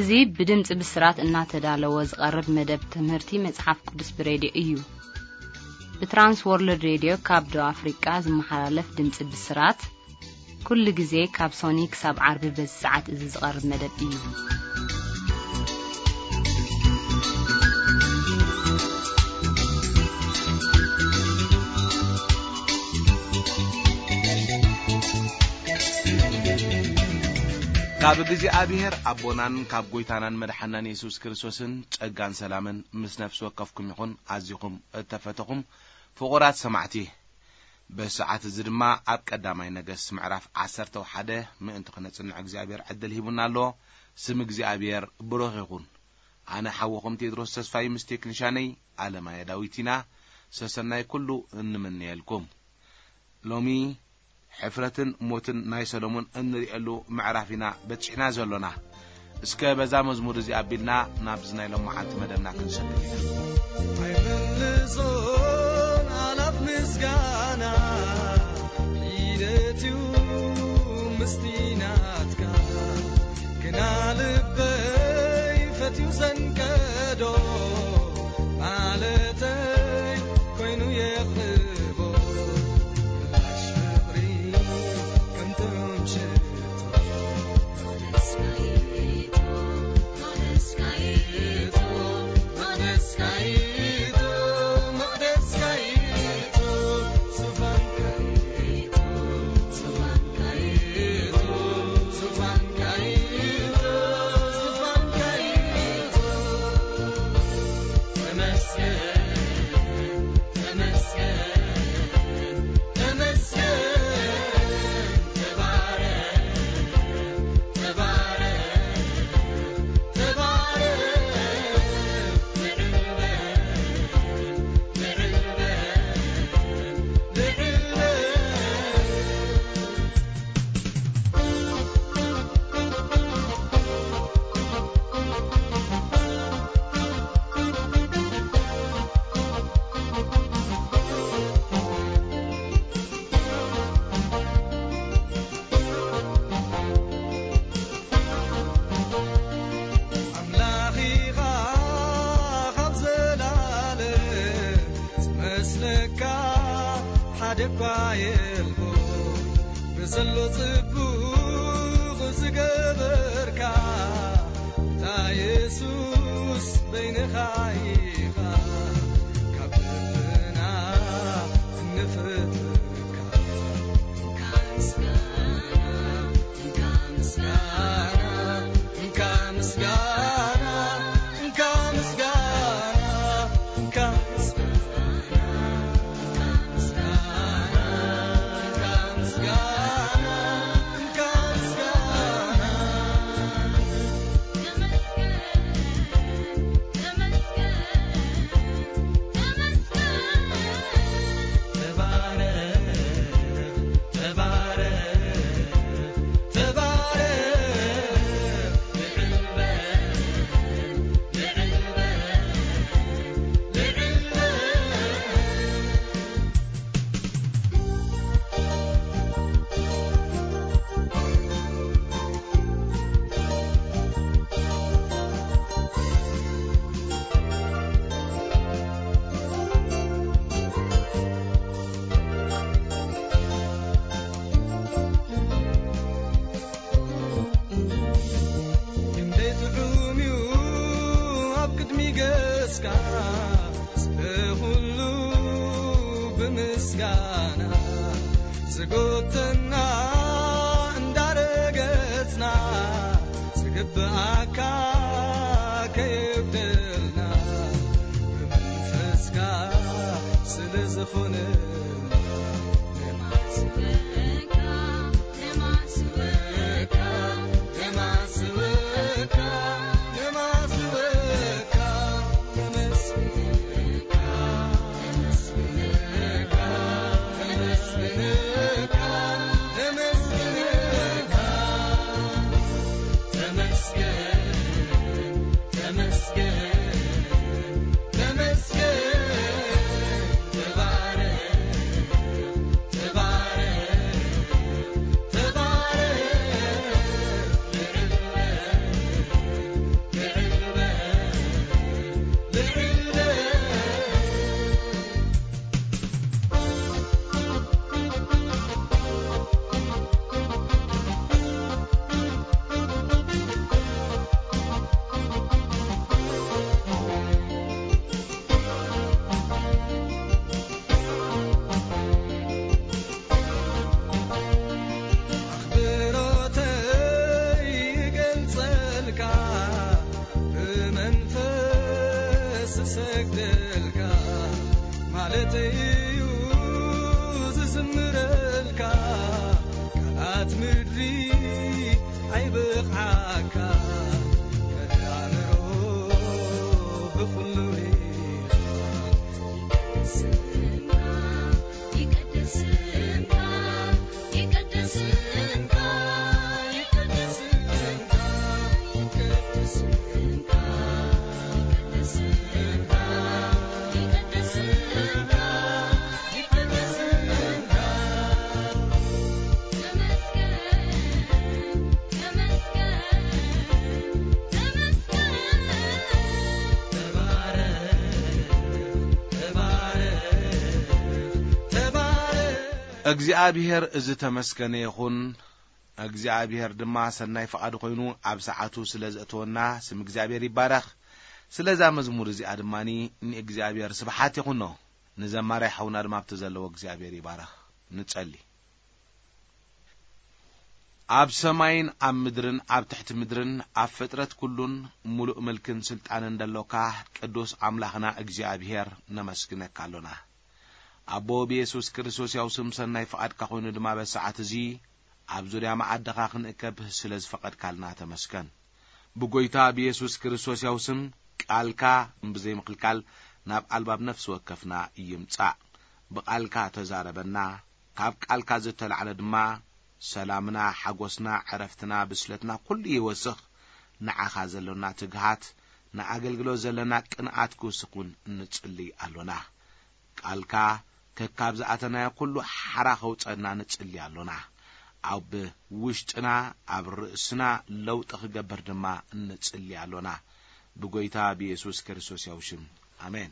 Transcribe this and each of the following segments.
እዚ ብድምጺ ብስራት እናተዳለወ ዝቐርብ መደብ ትምህርቲ መጽሓፍ ቅዱስ ብሬድዮ እዩ። ብትራንስ ወርልድ ሬድዮ ካብ ደቡብ ኣፍሪቃ ዝመሓላለፍ ድምጺ ብስራት፣ ኩሉ ግዜ ካብ ሶኒ ክሳብ ዓርቢ በዚ ሰዓት እዚ ዝቐርብ መደብ እዩ። ካብ እግዚኣብሔር ኣቦናን ካብ ጐይታናን መድሓናን የሱስ ክርስቶስን ጸጋን ሰላምን ምስ ነፍሲ ወከፍኩም ይኹን። ኣዚኹም እተፈተኹም ፍቑራት ሰማዕቲ፣ በዚ ሰዓት እዚ ድማ ኣብ ቀዳማይ ነገስት ምዕራፍ ዓሰርተ ሓደ ምእንቲ ክነጽንዕ እግዚኣብሔር ዕድል ሂቡና ኣሎ። ስም እግዚኣብሔር ብሩኽ ይኹን። ኣነ ሓውኹም ቴድሮስ ተስፋይ ምስ ቴክኒሻነይ ኣለማየ ዳዊት ኢና ሰሰናይ ኩሉ እንምነየልኩም። ሎሚ ሕፍረትን ሞትን ናይ ሰሎሞን እንርእየሉ ምዕራፍ ኢና በጺሕና ዘሎና። እስከ በዛ መዝሙር እዚ ኣቢልና ናብዚ ናይ ሎመዓልቲ መደብና ክንሰግር ኢና። ኣይምልሶን ኣላፍ ምስጋና ሒደት እዩ ምስቲ ናትካ፣ ግና ልበይ ፈትዩ ዘንቀዶ ማለተይ ኮይኑ የቕርቦ ምላሽ ፍቕሪ ከም ጥዑም ሽቶ። ኣምላኺኻ ካብ ዘላለም ዝመስለካ ሓደ እኳ የልቦ። ብዘሎ ጽቡቕ ዝገበርካ፣ እታ የሱስ በይንኻ ኢኻ፣ ካብ ልብና እንፈትወካ። ክንደይ ጥዑም እዩ ኣብ ቅድሚ ገጽካ፣ ስለ ኩሉ ብምስጋና ዝጎተና እንዳረገጽና፣ ዝግብኣካ ከየጉደልና፣ ብመንፈስካ ስለ ዝኾነልና። ሰግደልካ ማለተይ እዩ ዝዝምረልካ። ቃላት ምድሪ ኣይብቕዓካ፣ ከዳምሮ ብኹሉ ሪኻ። ይቀድስንካ፣ ይቀድስንካ፣ ይቀድስንካ፣ ይቀድስንካ፣ ይቀድስንካ፣ ይቀድስንካ፣ ይቀድስንካ፣ ይቀድስንካ። ተመስገን፣ ተመስገን፣ ተመስገን። ተባረኽ፣ ተባረኽ፣ ተባረኽ። እግዚኣብሔር ዝተመስገነ ይኹን። እግዚኣብሔር ድማ ሰናይ ፍቓዱ ኮይኑ ኣብ ሰዓቱ ስለ ዘእተወና ስም እግዚኣብሔር ይባረኽ። ስለዛ መዝሙር እዚኣ ድማ ንእግዚኣብሔር ስብሓት ይኹኖ። ንዘማሪ ሓውና ድማ ኣብቲ ዘለዎ እግዚኣብሔር ይባረኽ። ንጸሊ። ኣብ ሰማይን ኣብ ምድርን ኣብ ትሕቲ ምድርን ኣብ ፍጥረት ኩሉን ምሉእ ምልክን ስልጣንን ደሎካ ቅዱስ ኣምላኽና እግዚኣብሔር ነመስግነካ ኣሎና። ኣቦ ብየሱስ ክርስቶስ ያው ስም ሰናይ ፍቓድካ ኮይኑ ድማ በሰዓት እዚ ኣብ ዙርያ መዓድኻ ክንእከብ ስለ ዝፈቐድካልና ተመስገን። ብጎይታ ብየሱስ ክርስቶስ ያው ስም ቃልካ ብዘይምኽልካል ናብ ኣልባብ ነፍሲ ወከፍና ይምጻእ። ብቓልካ ተዛረበና፣ ካብ ቃልካ ዝተላዕለ ድማ ሰላምና፣ ሓጎስና፣ ዕረፍትና፣ ብስለትና ኩሉ ይወስኽ። ንዓኻ ዘሎና ትግሃት፣ ንኣገልግሎት ዘለና ቅንኣት ክውስኽ እውን ንጽሊ ኣሎና። ቃልካ ከካብ ዝኣተናዮ ኩሉ ሓራ ከውጸና ንጽሊ ኣሎና። ኣብ ውሽጥና፣ ኣብ ርእስና ለውጢ ክገብር ድማ ንጽሊ ኣሎና። ብጎይታ ብየሱስ ክርስቶስ ያው ሽም። ኣሜን።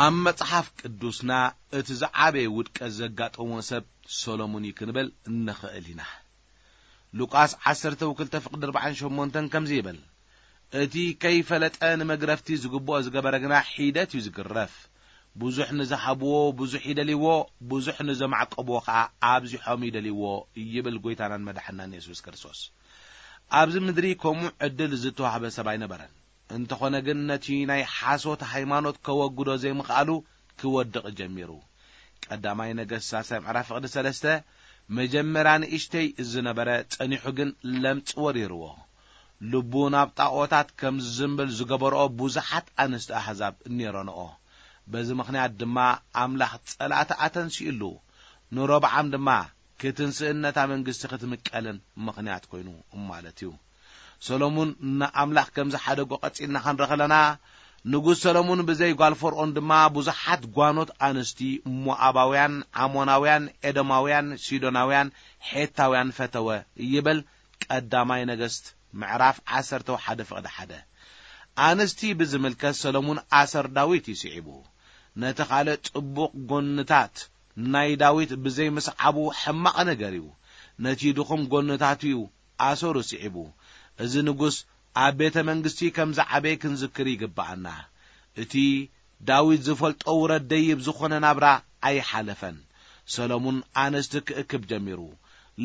ኣብ መጽሓፍ ቅዱስና እቲ ዝዓበየ ውድቀት ዘጋጠሞ ሰብ ሰሎሞን እዩ ክንብል እንኽእል ኢና። ሉቃስ ዓሰርተ ክልተ ፍቕዲ ኣርባዓን ሸሞንተን ከምዚ ይብል፣ እቲ ከይፈለጠ ንመግረፍቲ ዝግብኦ ዝገበረ ግና ሒደት እዩ ዝግረፍ። ብዙሕ ንዝሃብዎ ብዙሕ ይደልይዎ፣ ብዙሕ ንዘማዕቀብዎ ኸዓ ኣብዚሖም ይደልይዎ፣ ይብል ጎይታናን መድሓናን የሱስ ክርስቶስ። ኣብዚ ምድሪ ከምኡ ዕድል ዝተዋህበ ሰብ ኣይነበረን። እንተኾነ ግን ነቲ ናይ ሓሶት ሃይማኖት ከወግዶ ዘይምኽኣሉ ክወድቕ ጀሚሩ። ቀዳማይ ነገስት ሳልሳይ ምዕራፍ ፍቕዲ ሰለስተ፣ መጀመርያ ንእሽተይ ዝነበረ ጸኒሑ ግን ለምጽ ወሪርዎ። ልቡ ናብ ጣኦታት ከም ዝዝንብል ዝገበርኦ ብዙሓት ኣንስቲ ኣህዛብ ነይረንኦ። በዚ ምኽንያት ድማ ኣምላኽ ጸላእቲ ኣተንሲኡሉ። ንሮብዓም ድማ ክትንስእን ነታ መንግስቲ ክትምቀልን ምኽንያት ኮይኑ ማለት እዩ። ሰሎሙን ንኣምላኽ ከም ዝሓደጎ ቀጺልና ክንርኢ ከለና፣ ንጉስ ሰሎሙን ብዘይ ጓል ፈርኦን ድማ ብዙሓት ጓኖት ኣንስቲ ሞኣባውያን፣ ዓሞናውያን፣ ኤዶማውያን፣ ሲዶናውያን፣ ሔታውያን ፈተወ ይብል ቀዳማይ ነገስት ምዕራፍ ዓሰርተ ሓደ ፍቕዲ ሓደ። ኣንስቲ ብዝምልከት ሰሎሙን ኣሰር ዳዊት እዩ ስዒቡ። ነቲ ካልእ ጽቡቕ ጎንታት ናይ ዳዊት ብዘይ ምስዓቡ ሕማቕ ነገር እዩ። ነቲ ድኹም ጎንታቱ እዩ ኣሰሩ ስዒቡ። እዚ ንጉስ ኣብ ቤተ መንግስቲ ከም ዝዓበየ ክንዝክር ይግብኣና። እቲ ዳዊት ዝፈልጦ ውረድ ደይብ ዝኾነ ናብራ ኣይሓለፈን። ሰሎሙን ኣንስቲ ክእክብ ጀሚሩ።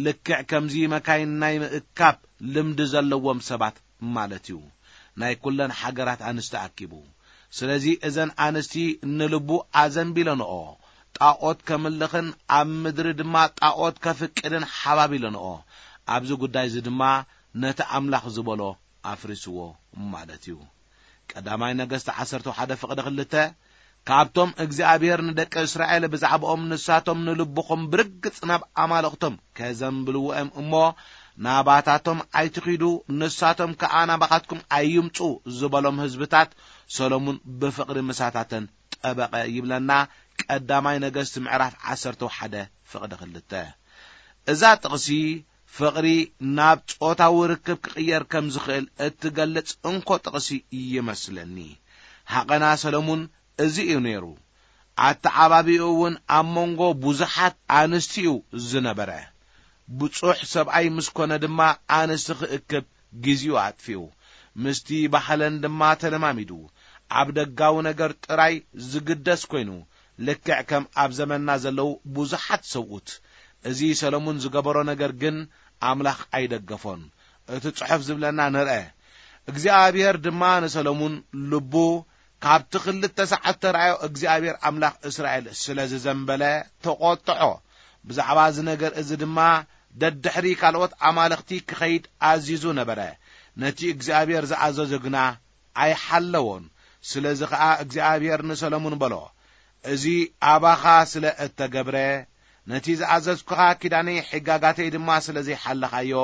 ልክዕ ከምዚ መካይን ናይ ምእካብ ልምዲ ዘለዎም ሰባት ማለት እዩ። ናይ ኩለን ሃገራት ኣንስቲ ኣኪቡ። ስለዚ እዘን ኣንስቲ ንልቡ ኣዘንቢለንኦ። ጣኦት ከምልኽን ኣብ ምድሪ ድማ ጣኦት ከፍቅድን ሓባቢለንኦ። ኣብዚ ጉዳይ እዚ ድማ ነቲ ኣምላኽ ዝበሎ ኣፍሪስዎ ማለት እዩ። ቀዳማይ ነገስት ዓሰርተ ሓደ ፍቕዲ ክልተ፣ ካብቶም እግዚኣብሔር ንደቂ እስራኤል ብዛዕባኦም ንሳቶም ንልብኹም ብርግጽ ናብ ኣማልኽቶም ከዘንብልዎም እሞ ናባታቶም ኣይትኺዱ፣ ንሳቶም ከኣ ናባኻትኩም ኣይምጹ ዝበሎም ህዝብታት ሰሎሙን ብፍቕሪ ምሳታተን ጠበቐ ይብለና። ቀዳማይ ነገስት ምዕራፍ ዓሰርተ ሓደ ፍቕዲ ክልተ። እዛ ጥቕሲ ፍቕሪ ናብ ጾታዊ ርክብ ክቕየር ከም ዝኽእል እትገልጽ እንኮ ጥቕሲ ይመስለኒ። ሃቐና ሰሎሙን እዚ እዩ ነይሩ። ኣተዓባቢኡ እውን ኣብ መንጎ ብዙሓት ኣንስቲ እዩ ዝነበረ። ብጹሕ ሰብኣይ ምስ ኮነ ድማ ኣንስቲ ክእክብ ግዜኡ ኣጥፊኡ። ምስቲ ባህለን ድማ ተለማሚዱ። ኣብ ደጋዊ ነገር ጥራይ ዝግደስ ኮይኑ፣ ልክዕ ከም ኣብ ዘመንና ዘለዉ ብዙሓት ሰብኡት። እዚ ሰሎሙን ዝገበሮ ነገር ግን ኣምላኽ ኣይደገፎን። እቲ ጽሑፍ ዝብለና ንርአ። እግዚኣብሔር ድማ ንሰሎሙን ልቡ ካብቲ ክልተ ሰዓት ተራእዮ እግዚኣብሔር ኣምላኽ እስራኤል ስለ ዝዘንበለ ተቖጥዖ። ብዛዕባ እዚ ነገር እዚ ድማ ደድሕሪ ካልኦት ኣማልኽቲ ክኸይድ ኣዚዙ ነበረ። ነቲ እግዚኣብሔር ዝኣዘዞ ግና ኣይሓለዎን። ስለዚ ኸኣ እግዚኣብሔር ንሰሎሙን በሎ፣ እዚ ኣባኻ ስለ እተገብረ፣ ነቲ ዝኣዘዝኩኻ ኪዳነይ ሕጋጋተይ ድማ ስለ ዘይሓለኻዮ፣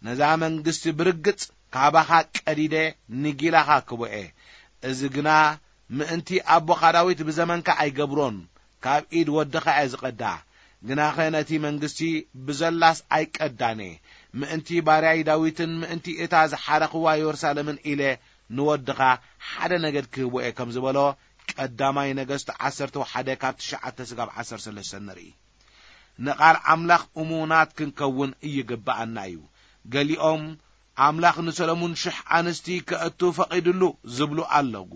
ነዛ መንግስቲ ብርግጽ ካባኻ ቀዲደ ንጊላኻ ክቦኤ። እዚ ግና ምእንቲ ኣቦኻ ዳዊት ብዘመንካ ኣይገብሮን፣ ካብ ኢድ ወድኻ እየ ዝቐዳ። ግናኸ ነቲ መንግስቲ ብዘላስ ኣይቀዳኔ፣ ምእንቲ ባርያይ ዳዊትን ምእንቲ እታ ዝሓረኽዋ የሩሳሌምን ኢለ ንወድኻ ሓደ ነገድ ክህቦ እየ ከም ዝበሎ፣ ቀዳማይ ነገስት ዓሰርተ ሓደ ካብ ትሽዓተ ስጋብ ዓሰርተ ሰለስተ ንርኢ። ንቓል ኣምላኽ እሙናት ክንከውን ይግብኣና እዩ። ገሊኦም ኣምላኽ ንሰሎሙን ሽሕ ኣንስቲ ከእቱ ፈቒድሉ ዝብሉ ኣለዉ።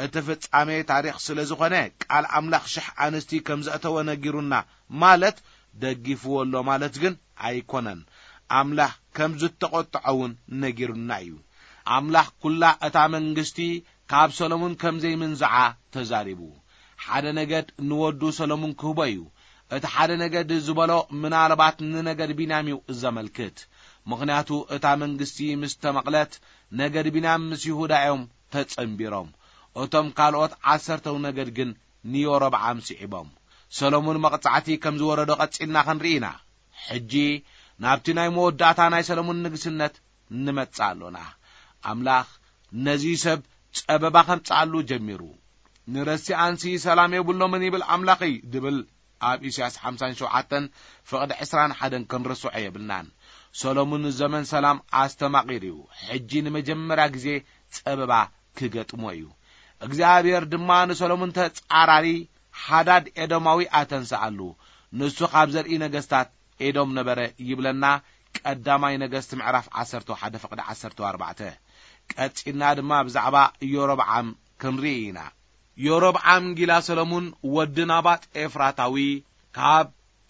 እቲ ፍጻሜ ታሪኽ ስለ ዝኾነ፣ ቃል ኣምላኽ ሽሕ ኣንስቲ ከም ዘእተወ ነጊሩና ማለት፣ ደጊፍዎ ኣሎ ማለት ግን ኣይኮነን። ኣምላኽ ከም ዝተቖጥዖ እውን ነጊሩና እዩ። ኣምላኽ ኩላ እታ መንግስቲ ካብ ሰሎሙን ከም ዘይምንዝዓ ተዛሪቡ። ሓደ ነገድ ንወዱ ሰሎሙን ክህቦ እዩ። እቲ ሓደ ነገድ ዝበሎ ምናልባት ንነገድ ቢንያም እዩ ዘመልክት። ምኽንያቱ እታ መንግስቲ ምስ ተመቕለት፣ ነገድ ቢንያም ምስ ይሁዳ እዮም ተጸንቢሮም። እቶም ካልኦት ዓሰርተው ነገድ ግን ንዮሮብዓም ስዒቦም። ሰሎሙን መቕጻዕቲ ከም ዝወረዶ ቀጺልና ክንርኢ ኢና። ሕጂ ናብቲ ናይ መወዳእታ ናይ ሰሎሙን ንግስነት ንመጽእ ኣሎና። ኣምላኽ ነዚ ሰብ ጸበባ ከምጽኣሉ ጀሚሩ። ንረሲኣንሲ ሰላም የብሎምን ይብል ኣምላኸይ ድብል ኣብ ኢሳያስ ሓምሳን ሸውዓተን ፍቕዲ ዕስራን ሓደን ክንርስዖ የብልናን። ሰሎሙን ዘመን ሰላም ኣስተማቒሩ እዩ። ሕጂ ንመጀመርያ ግዜ ጸበባ ክገጥሞ እዩ። እግዚኣብሔር ድማ ንሰሎሙን ተጻራሪ ሓዳድ ኤዶማዊ ኣተንስኣሉ። ንሱ ካብ ዘርኢ ነገስታት ኤዶም ነበረ ይብለና ቀዳማይ ነገስት ምዕራፍ ዓሰርተ ሓደ ፍቕዲ ዓሰርተ ኣርባዕተ። ቀጺልና ድማ ብዛዕባ ኢዮሮብዓም ክንርኢ ኢና። ኢዮሮብዓም ጊላ ሰሎሙን ወዲ ናባጥ ኤፍራታዊ ካብ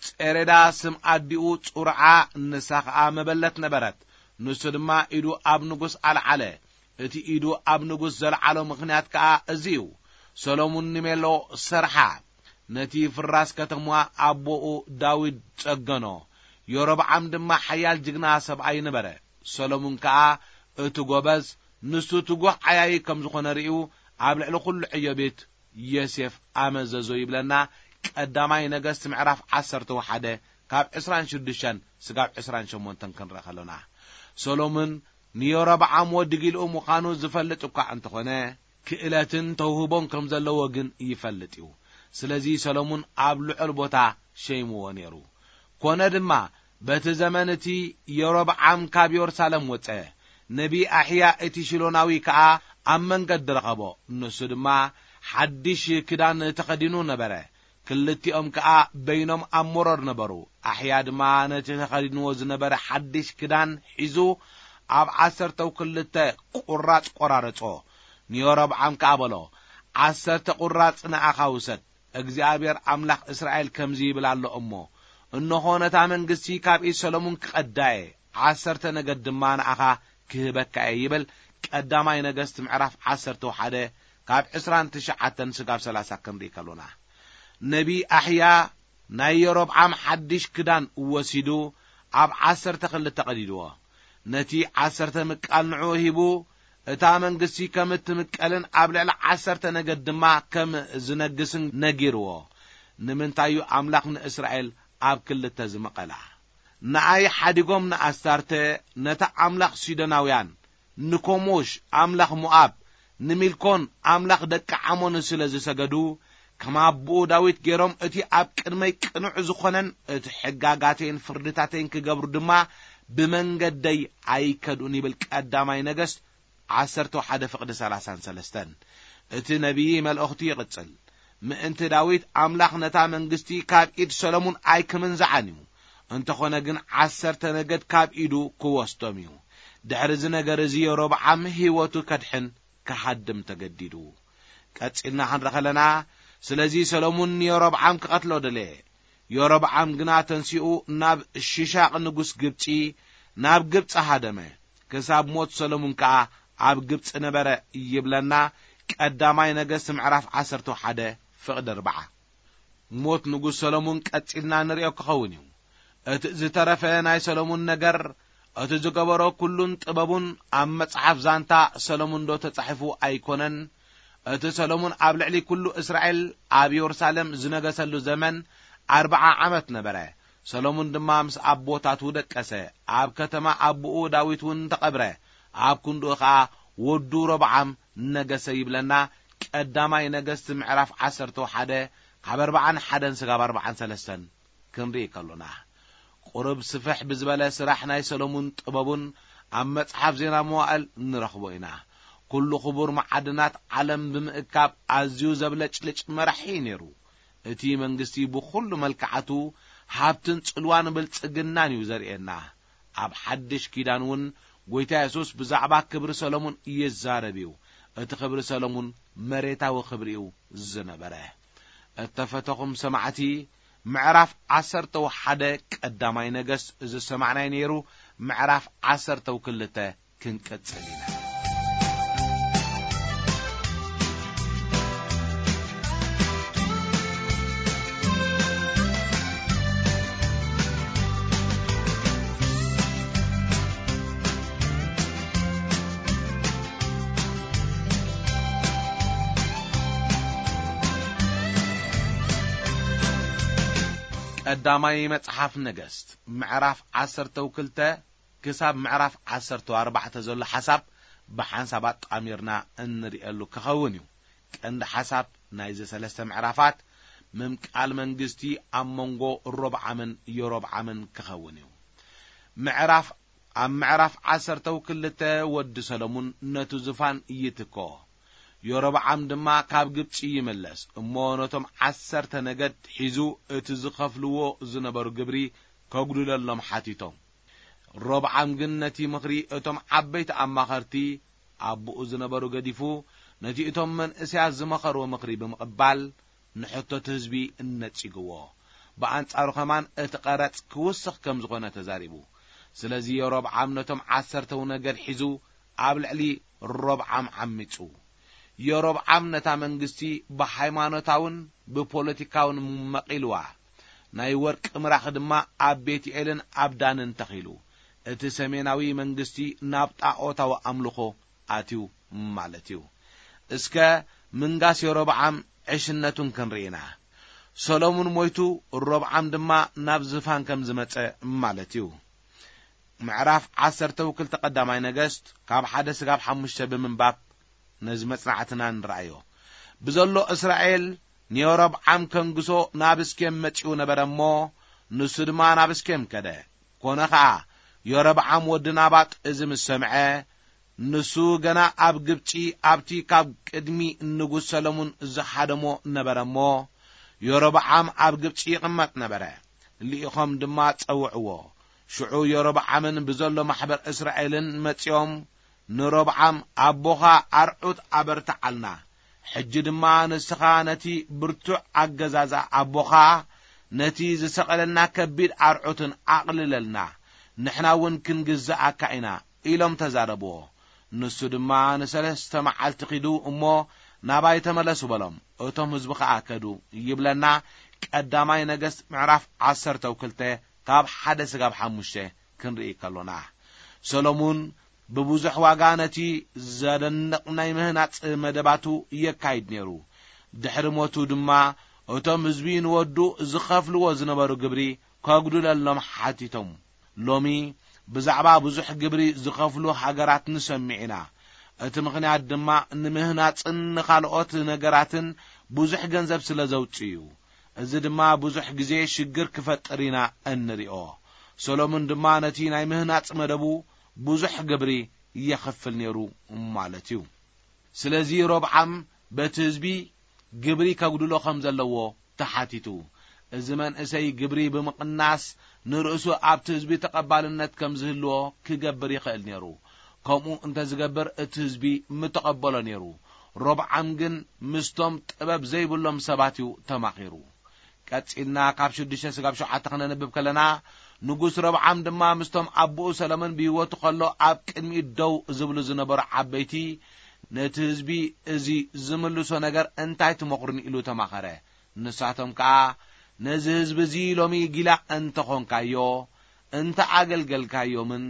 ጼሬዳ ስም ኣዲኡ ጹርዓ፣ ንሳ ኸኣ መበለት ነበረት። ንሱ ድማ ኢዱ ኣብ ንጉስ ኣልዓለ። እቲ ኢዱ ኣብ ንጉስ ዘልዓሎ ምኽንያት ከኣ እዚ እዩ። ሰሎሙን ንሜሎ ሰርሓ። ነቲ ፍራስ ከተማ ኣቦኡ ዳዊት ጸገኖ። ዮሮብዓም ድማ ሓያል ጅግና ሰብኣይ ነበረ። ሰሎሙን ከኣ እቲ ጎበዝ፣ ንሱ ትጉህ ዓያዪ ከም ዝኾነ ርእዩ፣ ኣብ ልዕሊ ኩሉ ዕዮ ቤት ዮሴፍ ኣመዘዞ ይብለና ቀዳማይ ነገስት ምዕራፍ ዓሰርተ ሓደ ካብ ዕስራን ሽዱሽተን ስጋብ ዕስራን ሸሞንተን ክንርኢ ከሎና። ሰሎሙን ንዮሮብዓም ወዲ ጊልኡ ምዃኑ ዝፈልጥ እኳ እንተኾነ፣ ክእለትን ተውህቦን ከም ዘለዎ ግን ይፈልጥ እዩ። ስለዚ ሰሎሙን ኣብ ልዑል ቦታ ሸይምዎ ነይሩ። ኮነ ድማ፣ በቲ ዘመን እቲ የሮብዓም ካብ የሩሳሌም ወጸ። ነቢ ኣሕያ እቲ ሺሎናዊ ከኣ ኣብ መንገዲ ረኸቦ። ንሱ ድማ ሓድሽ ክዳን ተኸዲኑ ነበረ። ክልቲኦም ከኣ በይኖም ኣብ መሮር ነበሩ። ኣሕያ ድማ ነቲ ተኸዲንዎ ዝነበረ ሓድሽ ክዳን ሒዙ ኣብ ዓሰርተው ክልተ ቁራጽ ቆራረጾ። ንዮሮብዓም ከኣ በሎ፣ "ዓሰርተ ቁራጽ ንኣኻ ውሰድ፣ እግዚኣብሔር ኣምላኽ እስራኤል ከምዚ ይብል ኣሎ እሞ፣ እንሆ ነታ መንግስቲ ካብ ኢድ ሰሎሙን ክቐዳ እየ፣ ዓሰርተ ነገድ ድማ ንኣኻ ክህበካ እየ" ይብል። ቀዳማይ ነገስት ምዕራፍ ዓሰርተ ሓደ ካብ ዕስራን ትሽዓተን ስጋብ ሰላሳ ክንርኢ ከሎና፣ ነቢ ኣሕያ ናይ የሮብዓም ሓድሽ ክዳን ወሲዱ ኣብ ዓሰርተ ክልተ ቀዲድዎ። ነቲ ዓሰርተ ምቃል ንዕኡ ሂቡ፣ እታ መንግስቲ ከም እትምቀልን ኣብ ልዕሊ ዓሰርተ ነገድ ድማ ከም ዝነግስን ነጊርዎ። ንምንታይ እዩ ኣምላኽ ንእስራኤል ኣብ ክልተ ዝመቐላ? ንኣይ ሓዲጎም ንኣስታርተ፣ ነታ ኣምላኽ ሲዶናውያን፣ ንኮሞሽ ኣምላኽ ሞኣብ፣ ንሚልኮን ኣምላኽ ደቂ ዓሞን ስለ ዝሰገዱ፣ ከም ኣቦኡ ዳዊት ገይሮም እቲ ኣብ ቅድመይ ቅኑዕ ዝኾነን እቲ ሕጋጋተይን ፍርድታተይን ክገብሩ ድማ ብመንገደይ ኣይከድኡን ይብል ቀዳማይ ነገስት ዓሰርተ ሓደ ፍቕዲ ሰላሳን ሰለስተን። እቲ ነቢይ መልእኽቱ ይቕጽል። ምእንቲ ዳዊት ኣምላኽ ነታ መንግስቲ ካብ ኢድ ሰሎሙን ኣይክምንዝዓን እዩ። እንተኾነ ግን ዓሰርተ ነገድ ካብ ኢዱ ክወስዶም እዩ። ድሕሪ እዚ ነገር እዚ የሮብዓም ህይወቱ ከድሕን ክሃድም ተገዲዱ። ቀጺልና ክንርኢ ከለና፣ ስለዚ ሰሎሙን ንየሮብዓም ክቐትሎ ደለየ። የሮብዓም ግና ተንሲኡ ናብ ሽሻቕ ንጉስ ግብጺ፣ ናብ ግብጺ ሃደመ። ክሳብ ሞት ሰሎሙን ከኣ ኣብ ግብጺ ነበረ ይብለና ቀዳማይ ነገስት ምዕራፍ ዓሰርተ ሓደ ፍቕዲ ኣርብዓ። ሞት ንጉስ ሰሎሙን ቀጺልና ንርእዮ ክኸውን እዩ። እቲ ዝተረፈ ናይ ሰሎሙን ነገር፣ እቲ ዝገበሮ ኩሉን ጥበቡን ኣብ መጽሓፍ ዛንታ ሰሎሙን ዶ ተጻሒፉ ኣይኮነን? እቲ ሰሎሙን ኣብ ልዕሊ ኩሉ እስራኤል ኣብ የሩሳሌም ዝነገሰሉ ዘመን ኣርብዓ ዓመት ነበረ። ሰሎሙን ድማ ምስ ኣቦታቱ ደቀሰ፣ ኣብ ከተማ ኣቦኡ ዳዊት እውን ተቐብረ። ኣብ ክንድኡ ኸኣ ወዱ ሮብዓም ነገሰ ይብለና ቀዳማይ ነገስት ምዕራፍ ዓሰርተ ሓደ ካብ ኣርብዓን ሓደን ስጋብ ኣርብዓን ሰለስተን ክንርኢ ከሎና። ቁሩብ ስፍሕ ብዝበለ ስራሕ ናይ ሰሎሙን ጥበቡን ኣብ መጽሓፍ ዜና መዋእል ንረኽቦ ኢና። ኩሉ ክቡር መዓድናት ዓለም ብምእካብ ኣዝዩ ዘብለጭልጭ መራሒ እዩ ነይሩ። እቲ መንግስቲ ብኹሉ መልክዓቱ ሃብትን ጽልዋን ብልጽግናን እዩ ዘርእየና። ኣብ ሓድሽ ኪዳን እውን ጐይታ የሱስ ብዛዕባ ክብሪ ሰሎሙን ይዛረብ እዩ። እቲ ክብሪ ሰሎሙን መሬታዊ ክብሪ እዩ ዝነበረ። እተፈተኹም ሰማዕቲ፣ ምዕራፍ ዓሰርተ ሓደ ቀዳማይ ነገስት ዝሰማዕናይ ነይሩ። ምዕራፍ ዓሰርተ ክልተ ክንቅጽል ኢና። ቀዳማይ መጽሓፍ ነገስት ምዕራፍ ዓሰርተ ክልተ ክሳብ ምዕራፍ ዓሰርተ ኣርባዕተ ዘሎ ሓሳብ ብሓንሳብ ኣጣሚርና እንርእየሉ ክኸውን እዩ። ቀንዲ ሓሳብ ናይዚ ሰለስተ ምዕራፋት ምምቃል መንግስቲ ኣብ መንጎ ሮብዓምን የሮብዓምን ክኸውን እዩ። ምዕራፍ፣ ኣብ ምዕራፍ ዓሰርተ ክልተ ወዲ ሰሎሙን ነቱ ዝፋን ይትኮ። የሮብዓም ድማ ካብ ግብጺ ይምለስ እሞ ነቶም ዓሰርተ ነገድ ሒዙ እቲ ዝኸፍልዎ ዝነበሩ ግብሪ ከጉድለሎም ሓቲቶም። ሮብዓም ግን ነቲ ምኽሪ እቶም ዓበይቲ ኣማኸርቲ ኣቦኡ ዝነበሩ ገዲፉ፣ ነቲ እቶም መንእሰያት ዝመኸርዎ ምኽሪ ብምቕባል፣ ንሕቶት ህዝቢ እነጺግዎ። ብኣንጻሩ ከማን እቲ ቀረጽ ክውስኽ ከም ዝኾነ ተዛሪቡ። ስለዚ የሮብዓም ነቶም ዓሰርተው ነገድ ሒዙ ኣብ ልዕሊ ሮብዓም ዓሚጹ። የሮብዓም ነታ መንግስቲ ብሃይማኖታውን ብፖለቲካውን መቒልዋ። ናይ ወርቂ ምራኽ ድማ ኣብ ቤትኤልን ኣብ ዳንን ተኺሉ። እቲ ሰሜናዊ መንግስቲ ናብ ጣዖታዊ ኣምልኾ ኣትዩ ማለት እዩ። እስከ ምንጋስ የሮብዓም ዕሽነቱን ክንርኢ ኢና። ሰሎሙን ሞይቱ፣ ሮብዓም ድማ ናብ ዝፋን ከም ዝመጸ ማለት እዩ። ምዕራፍ ዓሰርተ ክልተ ቀዳማይ ነገስት ካብ ሓደ ስጋብ ሓሙሽተ ብምንባብ ነዚ መጽናዕትና ንረኣዮ። ብዘሎ እስራኤል ንየሮብዓም ከንግሶ ናብ እስኬም መጺኡ ነበረ እሞ፣ ንሱ ድማ ናብ እስኬም ከደ። ኮነ ኸኣ፣ የሮብዓም ወዲ ናባጥ እዚ ምስ ሰምዐ፣ ንሱ ገና ኣብ ግብጺ ኣብቲ ካብ ቅድሚ ንጉስ ሰሎሙን ዝሓደሞ ነበረ እሞ፣ የሮብዓም ኣብ ግብጺ ይቕመጥ ነበረ። ልኢኾም ድማ ጸውዕዎ። ሽዑ የሮብዓምን ብዘሎ ማሕበር እስራኤልን መጺኦም ንሮብዓም፣ "ኣቦኻ ኣርዑት ኣበርትዓልና፣ ሕጂ ድማ ንስኻ ነቲ ብርቱዕ ኣገዛዝኣ ኣቦኻ፣ ነቲ ዝሰቐለልና ከቢድ ኣርዑትን ኣቕልለልና፣ ንሕና እውን ክንግዝኣካ ኢና" ኢሎም ተዛረብዎ። ንሱ ድማ፣ "ንሰለስተ መዓልቲ ኺዱ እሞ ናባይ ተመለሱ" በሎም። እቶም ህዝቢ ኸኣ ከዱ ይብለና ቀዳማይ ነገስት ምዕራፍ ዓሰርተ ክልተ ካብ ሓደ ስጋብ ሓሙሽተ ክንርኢ ከሎና። ሰሎሙን ብብዙሕ ዋጋ ነቲ ዘደንቕ ናይ ምህናጽ መደባቱ የካይድ ነይሩ። ድሕሪ ሞቱ ድማ እቶም ህዝቢ ንወዱ ዝኸፍልዎ ዝነበሩ ግብሪ ከጉድለሎም ሓቲቶም። ሎሚ ብዛዕባ ብዙሕ ግብሪ ዝኸፍሉ ሃገራት ንሰምዕ ኢና። እቲ ምኽንያት ድማ ንምህናጽን ንኻልኦት ነገራትን ብዙሕ ገንዘብ ስለ ዘውጽእ እዩ። እዚ ድማ ብዙሕ ግዜ ሽግር ክፈጥር ኢና እንሪኦ። ሰሎሙን ድማ ነቲ ናይ ምህናጽ መደቡ ብዙሕ ግብሪ የኽፍል ነይሩ ማለት እዩ። ስለዚ ሮብዓም በቲ ህዝቢ ግብሪ ከጉድሎ ከም ዘለዎ ተሓቲቱ። እዚ መንእሰይ ግብሪ ብምቕናስ ንርእሱ ኣብቲ ህዝቢ ተቐባልነት ከም ዝህልዎ ክገብር ይኽእል ነይሩ። ከምኡ እንተ ዝገብር እቲ ህዝቢ ምተቐበሎ ነይሩ። ሮብዓም ግን ምስቶም ጥበብ ዘይብሎም ሰባት እዩ ተማኺሩ። ቀጺልና ካብ ሽዱሽተ ስጋብ ሸውዓተ ክነንብብ ከለና፣ ንጉስ ሮብዓም ድማ ምስቶም ኣቦኡ ሰሎሞን ብህይወቱ ከሎ ኣብ ቅድሚኡ ደው ዝብሉ ዝነበሩ ዓበይቲ፣ ነቲ ህዝቢ እዚ ዝምልሶ ነገር እንታይ ትመኽሩኒ ኢሉ ተማኸረ። ንሳቶም ከኣ፣ ነዚ ህዝቢ እዚ ሎሚ ጊላ እንተ ኾንካዮ፣ እንተ ኣገልገልካዮምን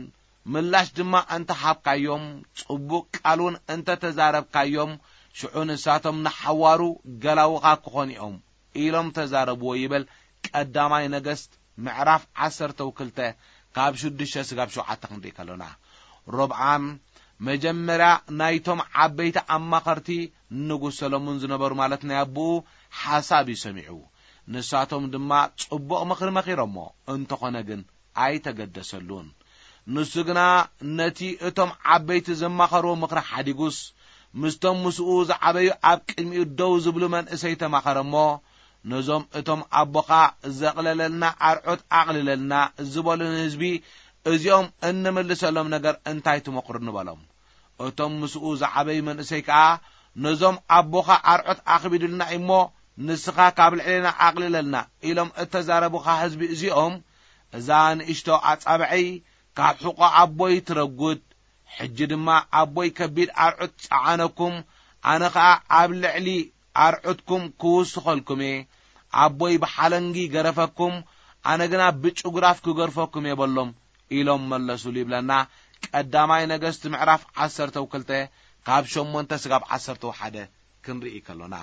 ምላሽ ድማ እንተ ሃብካዮም፣ ጽቡቕ ቃል እውን እንተ ተዛረብካዮም፣ ሽዑ ንሳቶም ንሓዋሩ ገላውኻ ክኾኑ እዮም ኢሎም ተዛረብዎ ይብል ቀዳማይ ነገስት ምዕራፍ ዓሰርተ ክልተ ካብ ሽዱሽተ ስጋብ ሸውዓተ ክንርኢ ከሎና። ሮብዓም መጀመርያ ናይቶም ዓበይቲ ኣማኸርቲ ንጉስ ሰሎሞን ዝነበሩ ማለት ናይ ኣቦኡ ሓሳብ እዩ ሰሚዑ። ንሳቶም ድማ ጽቡቕ ምኽሪ መኺሮሞ፣ እንተኾነ ግን ኣይተገደሰሉን። ንሱ ግና ነቲ እቶም ዓበይቲ ዘማኸርዎ ምኽሪ ሓዲጉስ፣ ምስቶም ምስኡ ዝዓበዩ ኣብ ቅድሚኡ ደው ዝብሉ መንእሰይ ተማኸረ እሞ፣ ነዞም እቶም ኣቦኻ ዘቕለለልና ኣርዑት ኣቕልለልና ዝበሉ ንህዝቢ እዚኦም እንምልሰሎም ነገር እንታይ ትመኽሩ ንበሎም። እቶም ምስኡ ዝዓበዩ መንእሰይ ከኣ ነዞም ኣቦኻ ኣርዑት ኣኽቢዱልና እሞ ንስኻ ካብ ልዕሌና ኣቕልለልና ኢሎም እተዛረቡኻ ህዝቢ እዚኦም፣ እዛ ንእሽቶ ኣጻብዐይ ካብ ሕቖ ኣቦይ ትረጉድ፣ ሕጂ ድማ ኣቦይ ከቢድ ኣርዑት ጸዓነኩም፣ ኣነ ኸኣ ኣብ ልዕሊ ኣርዑትኩም ክውስኸልኩም እየ። ኣቦይ ብሓለንጊ ገረፈኩም፣ ኣነ ግና ብጭጉራፍ ክገርፈኩም እየ በሎም ኢሎም መለሱሉ ይብለና። ቀዳማይ ነገስት ምዕራፍ ዓሰርተ ክልተ ካብ ሸሞንተ ስጋብ ዓሰርተ ሓደ ክንርኢ ከሎና።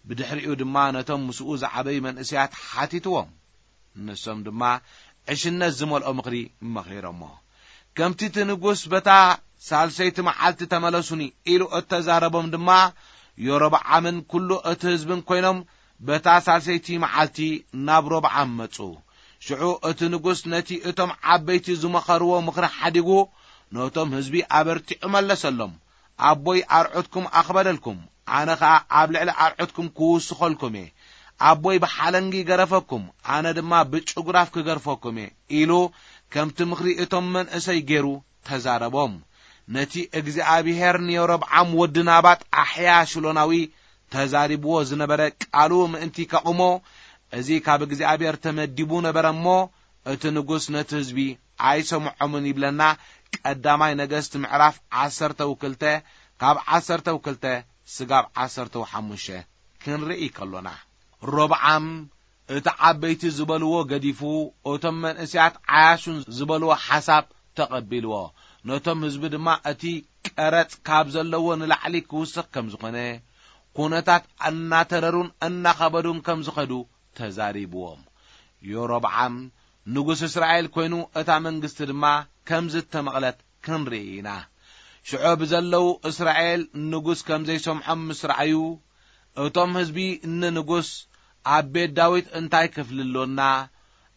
ብድሕሪኡ ድማ ነቶም ምስኡ ዝዓበዩ መንእሰያት ሓቲትዎም። ንሶም ድማ ዕሽነት ዝመልኦ ምኽሪ መኺሮሞ። ከምቲ እቲ ንጉስ በታ ሳልሰይቲ መዓልቲ ተመለሱኒ ኢሉ እተዛረቦም ድማ፣ ዮሮብዓምን ኩሉ እቲ ህዝብን ኮይኖም በታ ሳልሰይቲ መዓልቲ ናብ ሮብዓም መጹ። ሽዑ እቲ ንጉስ ነቲ እቶም ዓበይቲ ዝመኸርዎ ምኽሪ ሓዲጉ፣ ነቶም ህዝቢ ኣበርቲዑ መለሰሎም። ኣቦይ ኣርዑትኩም ኣኽበደልኩም፣ ኣነ ኸኣ ኣብ ልዕሊ ኣርዑትኩም ክውስኸልኩም እየ። ኣቦይ ብሓለንጊ ገረፈኩም፣ ኣነ ድማ ብጭጉራፍ ክገርፈኩም እየ ኢሉ ከምቲ ምኽሪ እቶም መንእሰይ ገይሩ ተዛረቦም። ነቲ እግዚኣብሄር ንዮሮብዓም ወዲ ናባጥ ኣሕያ ሽሎናዊ ተዛሪብዎ ዝነበረ ቃሉ ምእንቲ ከቑሞ፣ እዚ ካብ እግዚኣብሄር ተመዲቡ ነበረ እሞ፣ እቲ ንጉስ ነቲ ህዝቢ ኣይሰምዖምን ይብለና። ቀዳማይ ነገስት ምዕራፍ ዓሰርተ ክልተ ካብ ዓሰርተ ክልተ ስጋብ ዓሰርተ ሓሙሽተ ክንርኢ ከሎና። ሮብዓም እቲ ዓበይቲ ዝበልዎ ገዲፉ፣ እቶም መንእሰያት ዓያሹን ዝበልዎ ሓሳብ ተቐቢልዎ። ነቶም ህዝቢ ድማ እቲ ቀረጽ ካብ ዘለዎ ንላዕሊ ክውስኽ ከም ዝኾነ፣ ኩነታት እናተረሩን እናኸበዱን ከም ዝኸዱ ተዛሪብዎም። ዮሮብዓም ንጉስ እስራኤል ኮይኑ፣ እታ መንግስቲ ድማ ከም ዝተመቕለት ክንርኢ ኢና። ሽዑ ብዘለዉ እስራኤል ንጉስ ከም ዘይሰምዖም ምስ ረኣዩ፣ እቶም ህዝቢ ንንጉስ፣ ኣብ ቤት ዳዊት እንታይ ክፍሊ ኣሎና?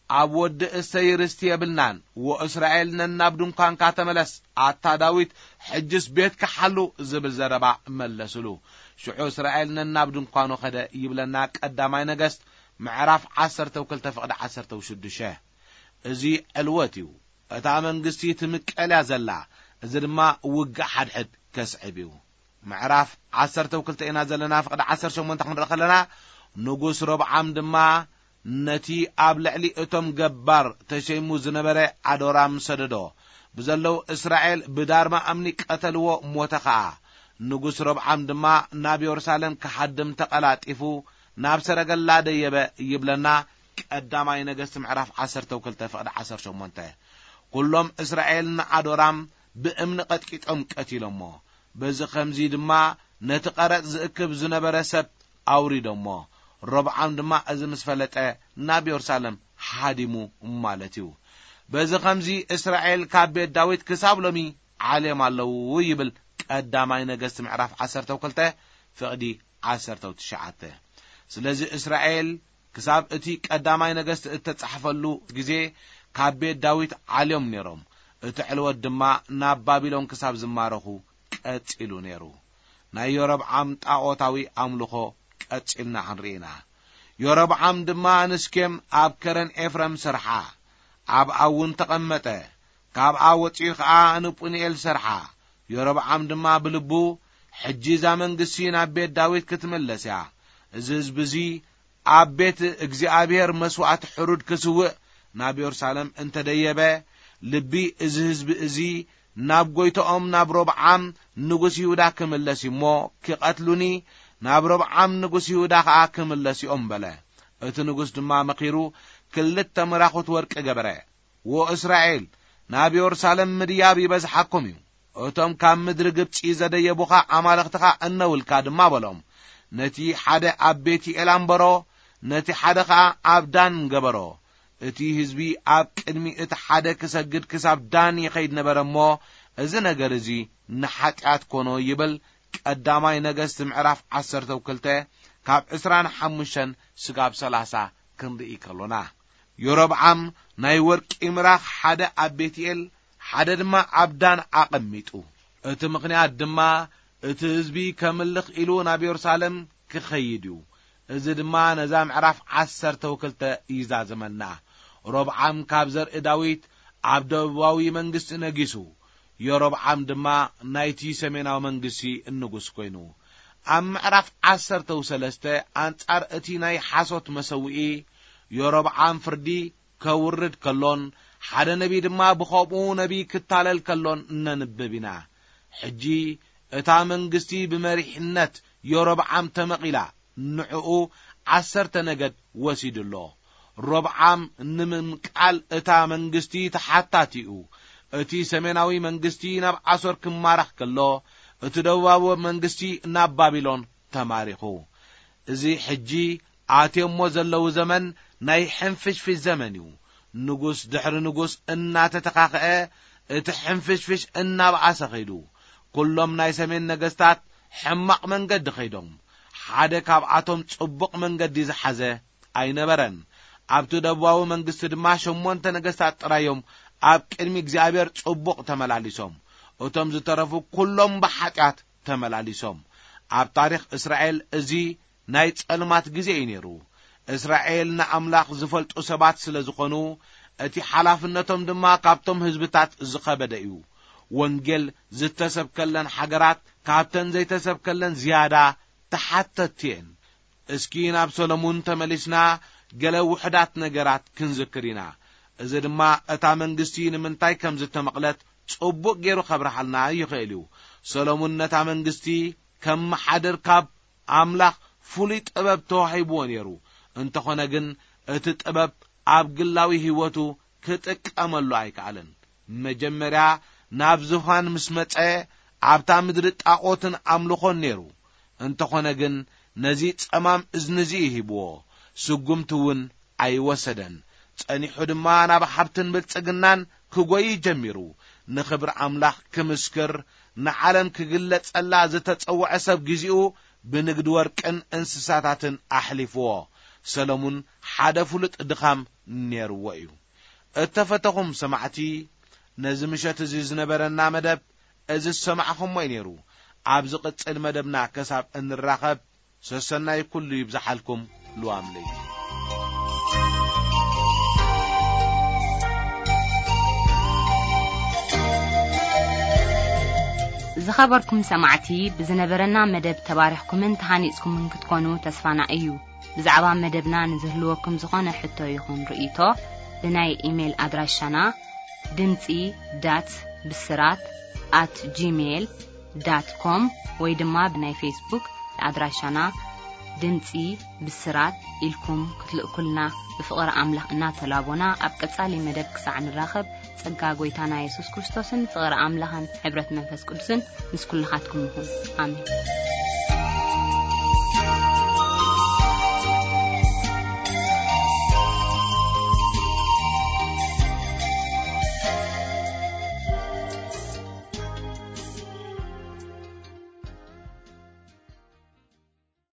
ኣብ ወዲ እሰይ ርስቲ የብልናን። ወእስራኤል ነናብ ድንኳንካ ተመለስ፣ ኣታ ዳዊት፣ ሕጅስ ቤትካ ሓሉ ዝብል ዘረባ መለስሉ። ሽዑ እስራኤል ነናብ ድንኳኑ ኸደ ይብለና ቀዳማይ ነገስት ምዕራፍ ዓሰርተ ክልተ ፍቕዲ ዓሰርተ ሽዱሽተ። እዚ ዕልወት እዩ። እታ መንግስቲ ትምቀል እያ ዘላ። እዚ ድማ ውግእ ሓድሕድ ከስዕብ እዩ። ምዕራፍ ዓሰርተ ክልተ ኢና ዘለና፣ ፍቕዲ ዓሰርተ ሸሞንተ ክንርኢ ከለና፣ ንጉስ ሮብዓም ድማ ነቲ ኣብ ልዕሊ እቶም ገባር ተሸይሙ ዝነበረ ኣዶራም ሰደዶ። ብዘለዉ እስራኤል ብዳርማ እምኒ ቀተልዎ፣ ሞተ ኸኣ። ንጉስ ሮብዓም ድማ ናብ የሩሳሌም ክሓድም ተቐላጢፉ ናብ ሰረገላ ደየበ ይብለና። ቀዳማይ ነገስት ምዕራፍ ዓሰርተ ክልተ ፍቕዲ ዓሰርተ ሸሞንተ። ኩሎም እስራኤል ንኣዶራም ብእምኒ ቀጥቂጦም ቀቲሎሞ። በዚ ኸምዚ ድማ ነቲ ቀረጽ ዝእክብ ዝነበረ ሰብ ኣውሪዶሞ። ሮብዓም ድማ እዚ ምስ ፈለጠ ናብ የሩሳሌም ሃዲሙ ማለት እዩ። በዚ ኸምዚ እስራኤል ካብ ቤት ዳዊት ክሳብ ሎሚ ዓልዮም ኣለዉ ይብል ቀዳማይ ነገስት ምዕራፍ ዓሰርተ ክልተ ፍቕዲ ዓሰርተ ትሽዓተ። ስለዚ እስራኤል ክሳብ እቲ ቀዳማይ ነገስት እተጻሕፈሉ ግዜ ካብ ቤት ዳዊት ዓልዮም ነይሮም። እቲ ዕልወት ድማ ናብ ባቢሎን ክሳብ ዝማረኹ ቀጺሉ ነይሩ። ናይ ዮሮብዓም ጣኦታዊ ኣምልኾ ቀጺልና ክንርኢ ኢና። ዮሮብዓም ድማ ንስኬም ኣብ ከረን ኤፍረም ሰርሓ፣ ኣብኣ እውን ተቐመጠ። ካብኣ ወጺኡ ኸኣ ንጵኒኤል ሰርሓ። ዮሮብዓም ድማ ብልቡ፣ "ሕጂ እዛ መንግስቲ ናብ ቤት ዳዊት ክትምለስ እያ። እዚ ህዝቢ እዚ ኣብ ቤት እግዚኣብሔር መስዋእቲ ሕሩድ ክስውእ ናብ የሩሳሌም እንተደየበ፣ ልቢ እዚ ህዝቢ እዚ ናብ ጎይቶኦም ናብ ሮብዓም ንጉስ ይሁዳ ክምለስ እዩ እሞ ክቐትሉኒ፣ ናብ ሮብዓም ንጉስ ይሁዳ ኸኣ ክምለስ እዮም" በለ። እቲ ንጉስ ድማ መኺሩ ክልተ ምራኹት ወርቂ ገበረ። "ወእስራኤል፣ ናብ የሩሳሌም ምድያብ ይበዝሓኩም እዩ። እቶም ካብ ምድሪ ግብጺ ዘደየቡኻ ኣማልኽትኻ እነውልካ ድማ" በሎም። ነቲ ሓደ ኣብ ቤትኤል ኣንበሮ፣ ነቲ ሓደ ኸኣ ኣብ ዳን ገበሮ። እቲ ህዝቢ ኣብ ቅድሚ እቲ ሓደ ክሰግድ ክሳብ ዳን ይኸይድ ነበረ እሞ፣ እዚ ነገር እዚ ንሓጢኣት ኮኖ ይብል። ቀዳማይ ነገስት ምዕራፍ ዓሰርተ ክልተ ካብ ዕስራን ሓሙሽተን ስጋብ ሰላሳ ክንርኢ ከሎና፣ ዮሮብዓም ናይ ወርቂ ምራኽ ሓደ ኣብ ቤትኤል ሓደ ድማ ኣብ ዳን ኣቐሚጡ። እቲ ምኽንያት ድማ እቲ ህዝቢ ከምልኽ ኢሉ ናብ የሩሳሌም ክኸይድ እዩ። እዚ ድማ ነዛ ምዕራፍ ዓሰርተ ክልተ ይዛዘመና። ሮብዓም ካብ ዘርኢ ዳዊት ኣብ ደቡባዊ መንግስቲ ነጊሱ። ዮሮብዓም ድማ ናይቲ ሰሜናዊ መንግስቲ ንጉስ ኮይኑ። ኣብ ምዕራፍ ዓሰርተ ሰለስተ ኣንጻር እቲ ናይ ሓሶት መሰውኢ ዮሮብዓም ፍርዲ ከውርድ ከሎን ሓደ ነቢ ድማ ብኸምኡ ነቢ ክታለል ከሎን እነንብብ ኢና። ሕጂ እታ መንግስቲ ብመሪሕነት ዮሮብዓም ተመቒላ፣ ንዕኡ ዓሰርተ ነገድ ወሲዱ ኣሎ። ሮብዓም ንምምቃል እታ መንግስቲ ተሓታቲ እዩ። እቲ ሰሜናዊ መንግስቲ ናብ ኣሶር ክማረኽ ከሎ፣ እቲ ደቡባዊ መንግስቲ ናብ ባቢሎን ተማሪኹ። እዚ ሕጂ ኣትዮሞ ዘለዉ ዘመን ናይ ሕንፍሽፍሽ ዘመን እዩ። ንጉስ ድሕሪ ንጉስ እናተተኻኸአ፣ እቲ ሕንፍሽፍሽ እናብኣሰ ኸይዱ። ኩሎም ናይ ሰሜን ነገስታት ሕማቕ መንገዲ ኸይዶም። ሓደ ካብኣቶም ጽቡቕ መንገዲ ዝሓዘ ኣይነበረን። ኣብቲ ደቡባዊ መንግስቲ ድማ ሸሞንተ ነገስታት ጥራዮም ኣብ ቅድሚ እግዚኣብሔር ጽቡቕ ተመላሊሶም። እቶም ዝተረፉ ኩሎም ብሓጢኣት ተመላሊሶም። ኣብ ታሪኽ እስራኤል እዚ ናይ ጸልማት ግዜ እዩ ነይሩ። እስራኤል ንኣምላኽ ዝፈልጡ ሰባት ስለ ዝኾኑ፣ እቲ ሓላፍነቶም ድማ ካብቶም ህዝብታት ዝኸበደ እዩ። ወንጌል ዝተሰብከለን ሃገራት ካብተን ዘይተሰብከለን ዝያዳ ተሓተትቲ እየን። እስኪ ናብ ሰሎሙን ተመሊስና ገለ ውሑዳት ነገራት ክንዝክር ኢና። እዚ ድማ እታ መንግስቲ ንምንታይ ከም ዝተመቕለት ጽቡቕ ገይሩ ከብርሃልና ይኽእል እዩ። ሰሎሙን ነታ መንግስቲ ከም መሓድር ካብ ኣምላኽ ፍሉይ ጥበብ ተዋሂብዎ ነይሩ። እንተኾነ ግን እቲ ጥበብ ኣብ ግላዊ ህይወቱ ክጥቀመሉ ኣይከኣለን። መጀመርያ ናብ ዙፋን ምስ መጸ ኣብታ ምድሪ ጣዖትን ኣምልኾን ነይሩ። እንተኾነ ግን ነዚ ጸማም እዝኒ እዚ ሂብዎ፣ ስጉምቲ እውን ኣይወሰደን። ጸኒሑ ድማ ናብ ሃብትን ብልጽግናን ክጎይ ጀሚሩ። ንኽብሪ ኣምላኽ ክምስክር፣ ንዓለም ክግለጸላ ዝተጸውዐ ሰብ ግዜኡ ብንግዲ ወርቅን እንስሳታትን ኣሕሊፍዎ። ሰሎሙን ሓደ ፍሉጥ ድኻም ነይርዎ እዩ። እተፈተኹም ሰማዕቲ፣ ነዚ ምሸት እዚ ዝነበረና መደብ እዚ ዝሰማዕኹሞ እዩ ነይሩ። ኣብ ዝቕጽል መደብና ከሳብ እንራኸብ፣ ሰሰናይ ኩሉ ይብዝሓልኩም። ልዋም ለይቲ። ዝኸበርኩም ሰማዕቲ፣ ብዝነበረና መደብ ተባሪኽኩምን ተሃኒጽኩምን ክትኮኑ ተስፋና እዩ። ብዛዕባ መደብና ንዝህልወኩም ዝኾነ ሕቶ ይኹን ርእይቶ፣ ብናይ ኢሜይል ኣድራሻና ድምጺ ዳት ብስራት ኣት ጂሜይል ዳት ኮም ወይ ድማ ብናይ ፌስቡክ ኣድራሻና ድምጺ ብስራት ኢልኩም ክትልእኩልና ብፍቕሪ ኣምላኽ እናተላቦና፣ ኣብ ቀጻሊ መደብ ክሳዕ ንራኸብ፣ ጸጋ ጎይታና የሱስ ክርስቶስን ፍቕሪ ኣምላኽን ሕብረት መንፈስ ቅዱስን ምስ ኩልኻትኩም ይኹን። ኣሜን።